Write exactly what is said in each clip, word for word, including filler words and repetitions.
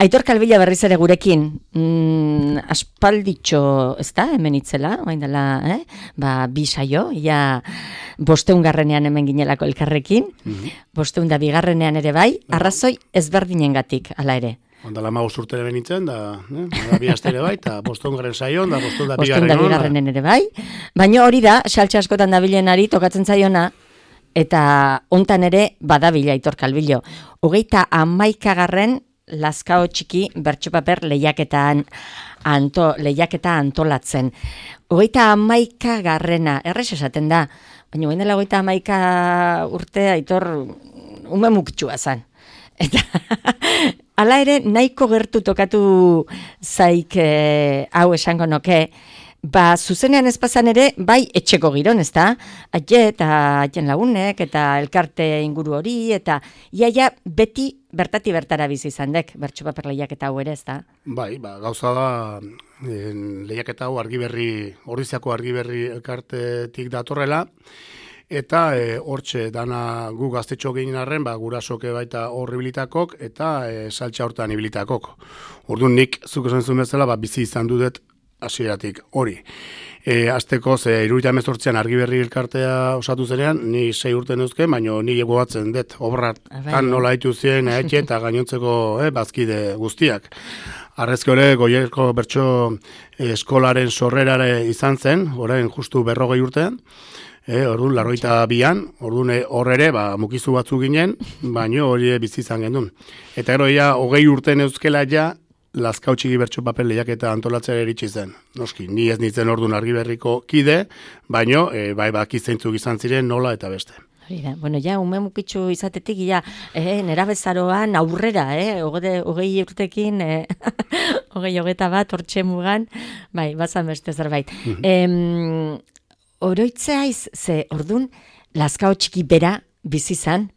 Aitor Kalbila berriz ere gurekin, mm, aspalditxo, ez da, hemen itzela, bain dela, eh? Ba, bi saio, ja, bosteun garrenean hemen ginelako elkarrekin, mm-hmm. bosteun da bigarrenean ere bai, arrazoi ezberdinengatik, hala ere. Ondala magoz urtere benitzen, da, eh? da bi astere bai, eta bosteun garren saion, da bosteun da bigarren da bigarrenen ere bai, baina hori da, saltxe askotan dabilenari tokatzen zaiona, eta hontan ere badabila Aitor Kalbilo. Hogeita hamaikagarren Lazkao txiki bertsopaper lehiaketan anto, lehiaketa antolatzen. Hogeita hamaika garrena, errez esaten da, baina guen dela hogeita hamaika urte Aitor ume mukitxua zen. Eta hala ere nahiko gertu tokatu zaik e, hau esango noke, ba, zuzenean ezpazan ere, bai etxeko giron, ez da? Aie eta aien lagunek, eta elkarte inguru hori, eta iaia beti bertati bertara bizi izan dek, bertsopaper lehiaketa hau ere, ez da? Bai, ba, gauza da, en, lehiaketa hau argiberri, Ordiziako argiberri elkartetik datorrela, eta e, hortxe dana gu gaztetxo gehien arren, ba, gurasoke baita horribilitakok, eta e, saltxa hortan ibilitakok. Orduan nik, zuk esan zuen bezala, ba, bizi izan dudet, hasieratik hori. E, azteko, ze iruita emezortzean argiberri elkartea osatu zenean, ni sei urte neuzken, baina ni egoatzen dut, obratan nola haitu ziren, etxe eta gainontzeko eh, bazkide guztiak. Arrezke hori, Goierko bertso eskolaren sorrerare izan zen, orain justu berrogei urtean, E, orduan, larroita bian, orduan hor ere, ba, mukizu batzu ginen, baino hori bizi izan gendun. Eta gero, ja, hogei urte neuzkela ja, Lazkao txiki bertsopaper lehiaketa antolatzea eritsi zen. Noski, ni ez nintzen orduan argiberriko kide, baino, e, bai, baki zeintzuk izan ziren nola eta beste. Hori bueno, ja, ume mukitxu izatetik, ja, eh, nera bezaroan aurrera, eh, hogei, hogei urtekin, eh, hogei hogeta bat, hortxe mugan, bai, bazan beste zerbait. em, Oroitzea iz, ze ordun Lazkao txiki bera bizi izan,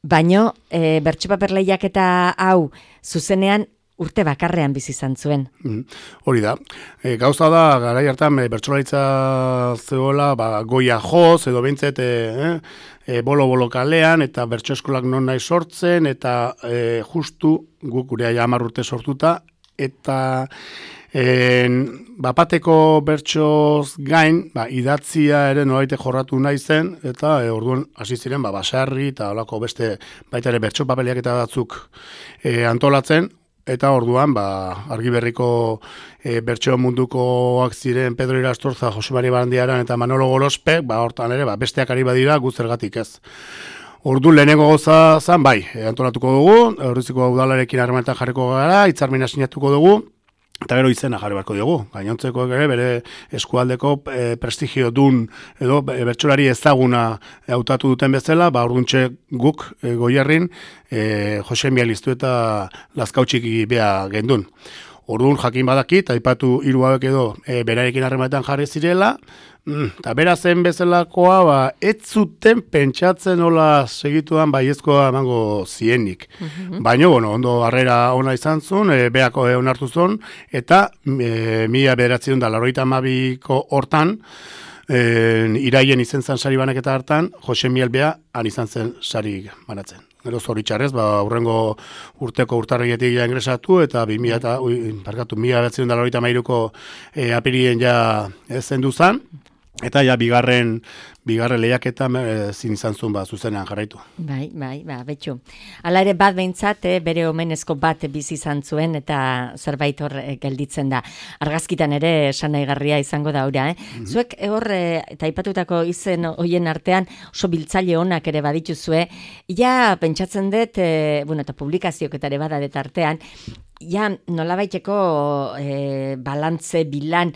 baino e, bertsopaper lehiaketa hau zuzenean urte bakarrean bizi izan zuen. Mm, hori da. E, gauza da, garai hartan e, bertsolaritza zegoela, ba, goia joz, edo behintzet e, e, bolo-bolo kalean, eta bertso eskolak non nahi sortzen, eta e, justu guk gure aia hamar urte sortuta, eta En, bapateko bertsoz gain, ba, idatzia ere nolaite jorratu nahi zen, eta e, orduan hasi ziren ba, basarri eta olako beste baita ere bertso papeliak eta batzuk e, antolatzen, eta orduan ba, argiberriko e, bertso mundukoak ziren Pedro Irastorza, Jose Mari Barandiaran eta Manolo Golospek, ba, hortan ere ba, besteak ari badira guzergatik ez. Orduan lehenengo goza zan, bai, e, antolatuko dugu, Orriziko udalarekin harremanetan jarriko gara, hitzarmena sinatuko dugu, eta gero izena jarri beharko diogu. Gainontzeko ere bere eskualdeko e, prestigio dun edo e, bertsolari ezaguna hautatu duten bezala, ba orduntxe guk e, Goierrin e, Jose Mializtu eta Lazkao txiki bea gendun. Orduan jakin badakit, aipatu hiru hauek edo e, berarekin harremanetan jarri zirela, eta mm, bera zen bezalakoa, ba, ez zuten pentsatzen hola segituan baiezkoa emango zienik. Mm-hmm. Baina, bueno, ondo harrera ona izan zuen, e, beako e, onartu zuen, eta e, mila bederatziehun da laurogeita hamabiko hortan, e, iraien izen zen sari banaketa hartan, Jose Miel bea han izan zen sari banatzen. Gero zoritxarrez, ba, aurrengo urteko urtarrietik ja ingresatu, eta bi mila eta, ui, parkatu, mila bederatziehun da laurogeita hamairuko e, apirien ja zendu zen, eta ja bigarren bigarren lehiaketa ezin izan zuen ba zuzenean jarraitu. Bai, bai, ba, betxu. Hala ere bat behintzat, eh, bere omenezko bat bizi izan zuen eta zerbait hor eh, gelditzen da. Argazkitan ere esanaigarria izango da ora, eh. Mm-hmm. Zuek hor eh, eta aipatutako izen hoien artean oso biltzaile onak ere badituzue. Ja pentsatzen dut, eh, bueno, eta publikazioak eta ere badadet artean, ja nolabaiteko eh, balantze bilan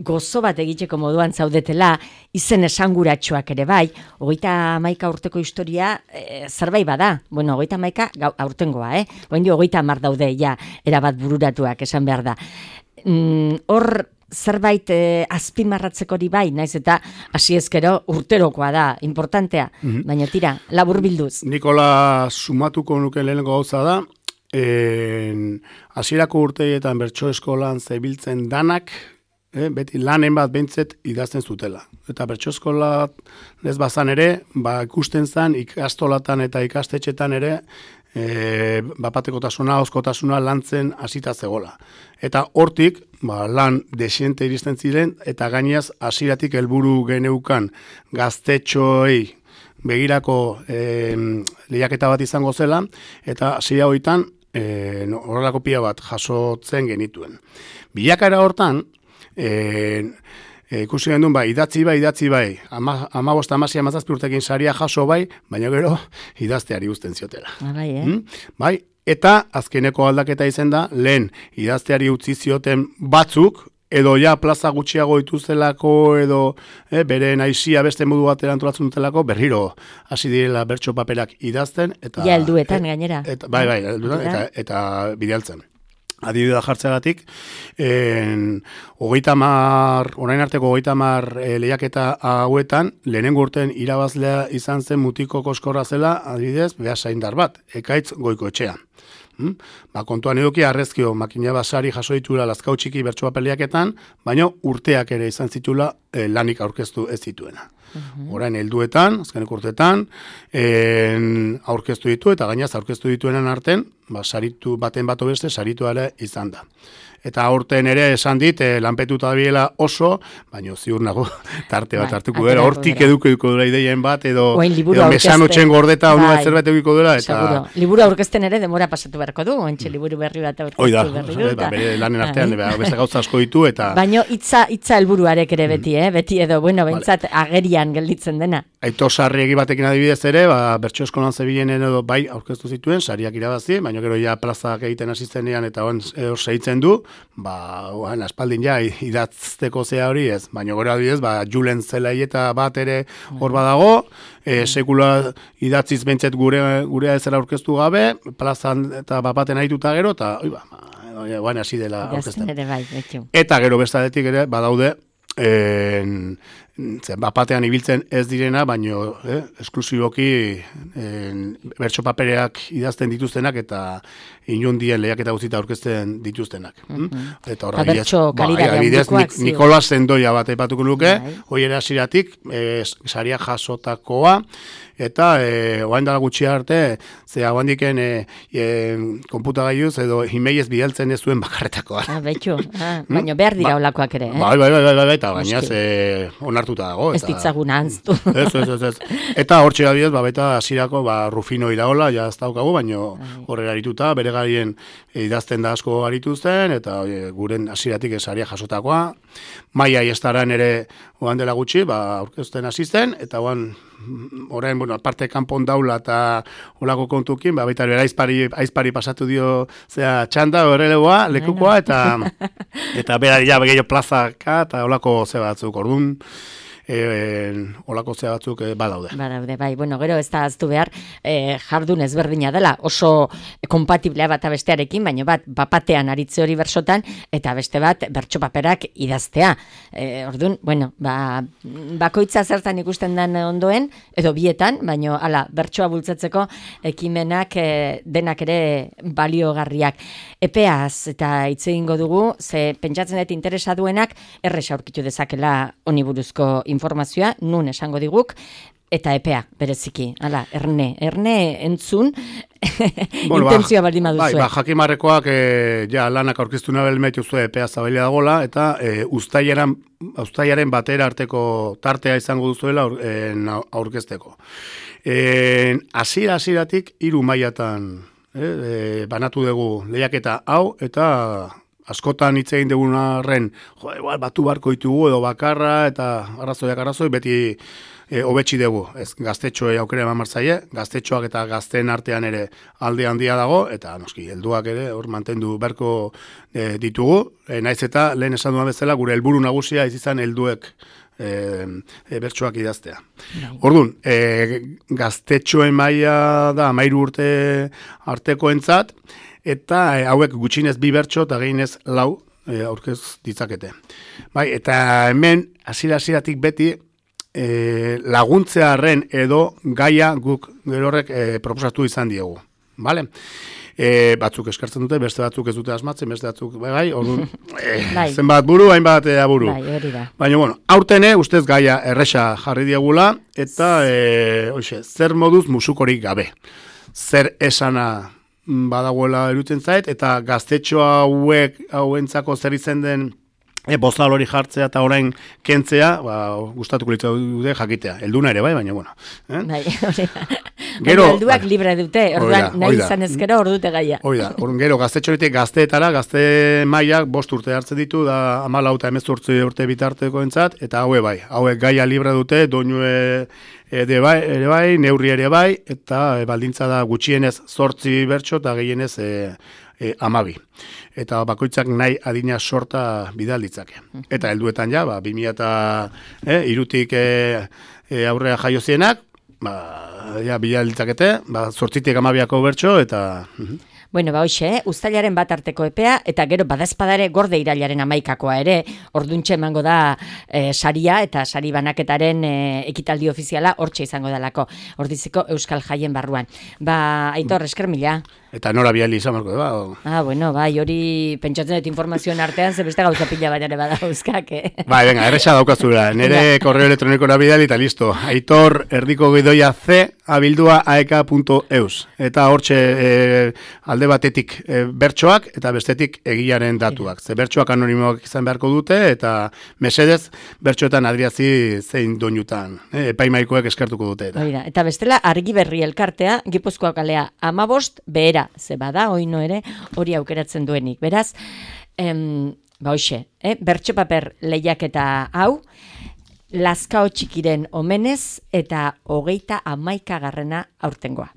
gozo bat egiteko moduan zaudetela, izen esanguratsuak ere bai, hogeita hamaika urteko historia e, zerbait bada, bueno, hogeita hamaika aurtengoa, eh? Oen dio, hogeita hamar daude, ja, erabat bururatuak, esan behar da. Mm, hor, zerbait e, azpimarratzeko hori bai, naiz eta hasi ezkero urterokoa da, importantea, mm-hmm. baina tira, labur bilduz. Nikola sumatuko nuke lehenengo gauza da, hasierako urteetan bertso eskolan zebiltzen danak, Eh, beti lanen bat behintzet idazten zutela. Eta bertso eskola ez bazan ere, ba, ikusten zan ikastolatan eta ikastetxetan ere e, bapatekotasuna, oskotasuna lantzen hasita zegola. Eta hortik, ba, lan desiente iristen ziren, eta gainaz hasieratik helburu geneukan gaztetxoei begirako e, lehiaketa bat izango zela, eta hasiera hoitan e, horrelako pila bat jasotzen genituen. Bilakaera hortan, e, E, ikusi gendun, bai, idatzi bai, idatzi bai, ama, ama bosta amazia mazazpi urtekin saria jaso bai, baina gero idazteari uzten ziotela. Bai, eh? Hmm? Bai, eta azkeneko aldaketa izen da, lehen idazteari utzi zioten batzuk, edo ja plaza gutxiago dituztelako, edo eh, bere naizia beste modu batera antolatzen dutelako, berriro hasi direla bertso paperak idazten. Eta, ja, helduetan gainera. Eta, bai, bai, helduetan, eta, eta bidaltzen. Adibidea jartzeagatik, hogeita mar, orain arteko hogeita mar e, lehiaketa hauetan, lehenengo urten irabazlea izan zen Mutiko Koskorra zela, adibidez, behasaindar bat, Ekaitz Goikoetxea. Hmm? Ba, kontuan eduki arrezkio makina basari jaso ditula Lazkau txiki bertso papeleaketan, baina urteak ere izan zitula e, lanik aurkeztu ez zituena. Uhum. Orain helduetan, azkenek urtetan, en, aurkeztu ditu eta gainaz aurkeztu dituenen arten, ba, saritu baten bato beste saritu ere izan da. Eta aurten ere esan dit, eh, lanpetuta dabiela oso, baina ziur nago tarte bat hartuko dela, hortik eduko eduko dela ideien bat, edo, edo mesanotxen gordeta onu bat zerbait eduko dela. Eta... Seguro, liburu aurkezten ere demora pasatu beharko du, ontsi liburu berri bat aurkeztu berri du. Oida, bere lanen artean, beste gauza asko ditu, eta... Baina hitza hitza helburuarek ere beti, eh? Beti edo, bueno, bentsat agerian gelditzen dena. Aito sarriegi batekin adibidez ere, ba, bertso eskolan zebilenen edo bai aurkeztu zituen, sariak irabazi, baina gero ja plazak egiten hasizenean eta hor segitzen du, ba, oan, aspaldin ja, idatzteko zea hori ez, baina gero adibidez, ba, Julen Zelaieta bat ere hor badago, e, sekula idatziz bentzet gure, gurea ezera aurkeztu gabe, plazan eta bapaten ahituta gero, eta, oi ba, oan, hasi dela aurkezten. Bai, eta gero bestadetik ere, badaude, en, zen, bapatean ibiltzen ez direna, baino eh, esklusiboki en, bertso papereak idazten dituztenak eta inundien lehiaketa guztita aurkezten dituztenak. Mm-hmm. Eta horra bidez, ba, Nikolas Zendoia bat aipatuko nuke, hoi ere hasiratik eh, saria jasotakoa, eta eh, oain dala gutxi arte, ze hau handiken eh, eh, konputagailuz edo imeiez bidaltzen ez zuen bakarretakoa. Ah, betxo, ah, baina behar dira olakoak ere. Eh? Bai, bai, bai, bai, bai, eta gainaz eh, onartuta dago. Ez ditzagun anztu. Ez, ez, ez, ez. Eta hor txera bidez, ba, beta hasirako ba, Rufino Iraola, ja ez daukagu, baina horrela arituta, bere garien idazten da asko arituzten, eta oie, guren hasiratik esaria jasotakoa. Maia Iestaran ere oan dela gutxi, ba, aurkezten asisten, eta oan orain, bueno, aparte kanpon daula eta olako kontukin, ba, baita bera aizpari, aizpari pasatu dio zea txanda, horrelegoa, lekukoa, eta eta bera ja gehiago plazaka, eta olako ze batzuk, orduan, E, olako zea batzuk e, badaude. Badaude, bai. Bueno, gero ez da aztu behar, e, jardun ezberdina dela, oso kompatiblea bat bestearekin, baina bat, bapatean aritze hori bersotan, eta beste bat, bertso paperak idaztea. E, orduan, bueno, ba, bakoitza zertan ikusten den ondoen, edo bietan, baina, ala, bertsoa bultzatzeko ekimenak e, denak ere baliogarriak. Epeaz, eta hitz egingo dugu, ze pentsatzen dut interesa duenak, erresa aurkitu dezakela honi buruzko informazioa, nun esango diguk, eta epea, bereziki, hala, erne, erne entzun, bueno, intentzioa baldin baduzue. Bai, ba, jakimarrekoak e, ja, lanak aurkeztu nabel mehitu epea zabaila dagoela, eta e, ustaiaren, ustaiaren batera arteko tartea izango duzuela aur, e, aurkezteko. Hasiera hasieratik hiru mailatan e, e, banatu dugu lehiaketa hau, eta askotan hitz egin dugun arren, jo, igual, batu barko ditugu edo bakarra, eta arrazoiak arrazoi, beti e, hobetsi dugu. Ez, gaztetxoei aukera eman martzaile, gaztetxoak eta gazteen artean ere alde handia dago, eta noski, helduak ere, hor mantendu berko e, ditugu, e, naiz eta lehen esan duan bezala, gure helburu nagusia izan helduek e, e, bertsoak idaztea. Orduan, e, gaztetxoen maila da, amairu urte artekoentzat, eta e, hauek gutxinez bi bertso eta gehinez lau e, aurkez ditzakete. Bai, eta hemen hasiera-hasieratik beti e, laguntzearren edo gaia guk gerorrek e, proposatu izan diegu. Vale? E, batzuk eskartzen dute, beste batzuk ez dute asmatzen, beste batzuk bai, orduan e, zenbat buru, hainbat e, aburu. Bai, hori da. Baina, bueno, aurtene ustez gaia erresa jarri diegula, eta e, oixe, zer moduz musukorik gabe. zer esana badagoela erutzen zait, eta gaztetxo hauek hauentzako zer izen den e, bozal hori jartzea eta orain kentzea, ba, gustatuko litza dute jakitea. Elduna ere bai, baina bueno. Eh? Bai, hori da. Gero, helduak bai, libre dute, orduan nahi izan ezkero hor dute gaia. Hoi da, orduan gero gaztetxo horitik gazteetara, gazte mailak bost urte hartzen ditu, da hamalau eta hemezortzi urte bitarteko entzat, eta haue bai, hauek gaia libre dute, doinue ere bai, ere bai, neurri ere bai, eta e, baldintza da gutxienez zortzi bertso eta gehienez e, e, amabi. Eta bakoitzak nahi adina sorta bidal ditzake. Eta helduetan ja, ba, bi mila eta e, irutik e, e, aurrea jaio zienak, ba, ja, bidal ditzakete, ba, zortzitik amabiako bertso, eta... Uh-huh. Bueno, ba hoxe, eh? Uztailaren bat arteko epea, eta gero badazpadare gorde irailaren amaikakoa ere, orduntxe emango da e, saria, eta sari banaketaren e, ekitaldi ofiziala hortxe izango dalako, ordiziko Euskal Jaien barruan. Ba, Aitor, esker mila. Eta nora biali izan marko, ba? O... Ah, bueno, bai, hori pentsatzen dut informazioen artean, ze beste gauza pila bat ere badauzkak, eh? Bai, venga, erresa daukazura, nere korreo elektroniko bidali eta listo. Aitor, erdiko gidoia c, abildua aeka punto eus. Eta hortxe e, alde batetik e, bertsoak eta bestetik egiaren datuak. Ze bertsoak anonimoak izan beharko dute eta mesedez bertsoetan adriazi zein doinutan. E, epaimaikoek eskertuko dute. Eta. Oida, eta bestela argi berri elkartea, Gipuzkoa kalea amabost behera, ze bada, oino ere, hori aukeratzen duenik. Beraz, em, ba hoxe, eh? Bertso paper lehiaketa hau, Lazkao txikiren omenez eta hogeita hamaika garrena aurtengoa.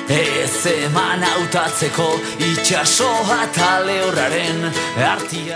Ez eman hautatzeko itxasoa eta lehorraren artia.